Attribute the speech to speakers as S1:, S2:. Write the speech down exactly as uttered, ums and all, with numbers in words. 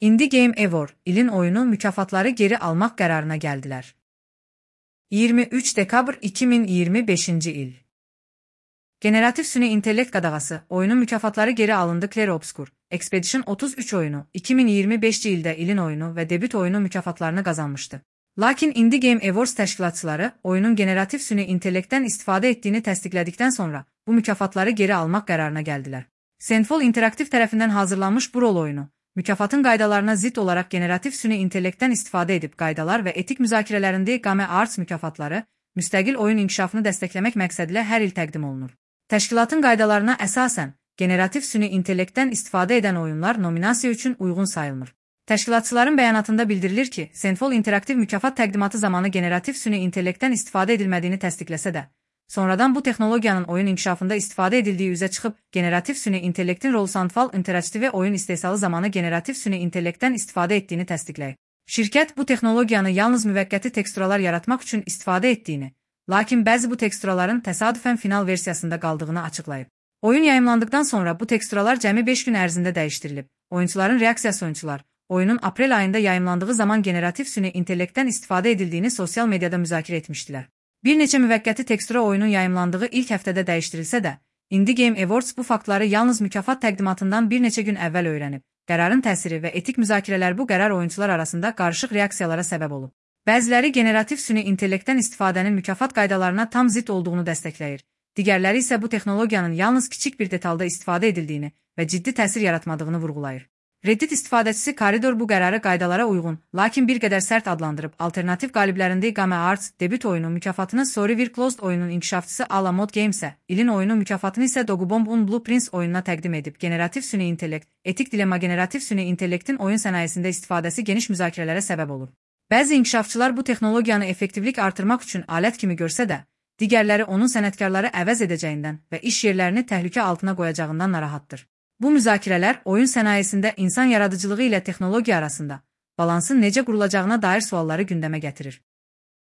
S1: Indie Game Award, ilin oyunu mükafatları geri almak kararına geldiler. iyirmi üç dekabr iki min iyirmi beşinci il. Generatif süni intellekt qadağası, oyunun mükafatları geri alındı. Clair Obscur, Expedition otuz üç oyunu, iki min iyirmi beşinci ildə ilin oyunu ve debüt oyunu mükafatlarını qazanmıştı. Lakin Indie Game Awards təşkilatçıları, oyunun generatif süni intellektdən istifadə ettiğini təsdiqlədikdən sonra, bu mükafatları geri almaq qərarına gəldilər. Sandfall Interactive tərəfindən hazırlanmış bu rol oyunu, mükafatın qaydalarına zidd olaraq generatif süni intellektdən istifadə edib qaydalar və etik müzakirələrində Game Arts mükafatları, müstəqil oyun inkişafını dəstəkləmək məqsədilə hər il təqdim olunur. Təşkilatın qaydalarına əsasən, generatif süni intellektdən istifadə edən oyunlar nominasiya üçün uyğun sayılmır. Təşkilatçıların bəyanatında bildirilir ki, Sandfall Interactive mükafat təqdimatı zamanı generatif süni intellektdən istifadə edilmədiyini təsdiqləsə də, sonradan bu texnologiyanın oyun inkişafında istifadə edildiyi üzə çıxıb, generatif süni intellektin rol Sandfall Interactive oyun istehsalı zamanı generatif süni intellektdən istifadə etdiyini təsdiqləyib. Şirkət bu texnologiyanı yalnız müvəqqəti teksturalar yaratmaq üçün istifadə etdiyini, lakin bəzi bu teksturaların təsadüfən final versiyasında qaldığını açıqlayıb. Oyun yayımlandıqdan sonra bu teksturalar cəmi beş gün ərzində dəyişdirilib. Oyunçuların reaksiyası oyunçular, oyunun aprel ayında yayımlandığı zaman generatif süni intellektdən istifadə edildiyini sosial mediada müzakirə etmişdilər. Bir neçə müvəqqəti tekstura oyunun yayımlandığı ilk həftədə dəyişdirilsə də, Indie Game Awards bu faktları yalnız mükafat təqdimatından bir neçə gün əvvəl öyrənib. Qərarın təsiri və etik müzakirələr bu qərar oyunçular arasında qarışıq reaksiyalara səbəb olub. Bəziləri generatif süni intellektdən istifadənin mükafat qaydalarına tam zidd olduğunu dəstəkləyir. Digərləri isə bu texnologiyanın yalnız kiçik bir detalda istifadə edildiyini və ciddi təsir yaratmadığını vurğulayır. Reddit istifadəçisi Corridor bu qərarı qaydalara uyğun, lakin bir qədər sərt adlandırıb, alternativ qaliblərində Game Arts debüt oyunu mükafatını Sorry We're Closed oyunun inkişafçısı Alamod Games-ə, ilin oyunu mükafatını isə Dogubomb Un Blueprints oyununa təqdim edib. Generatif süni intellekt, etik dilemma generatif süni intellektin oyun sənayesində istifadəsi geniş müzakirələrə səbəb olur. Bəzi inkişafçılar bu texnologiyanı effektivlik artırmaq üçün alət kimi görsə də, digərləri onun sənətkarları əvəz edəcəyindən və iş yerlərini təhlükə altına qoyacağından narahatdır. Bu müzakirələr oyun sənayesində insan yaradıcılığı ilə texnologiya arasında balansın necə qurulacağına dair sualları gündəmə gətirir.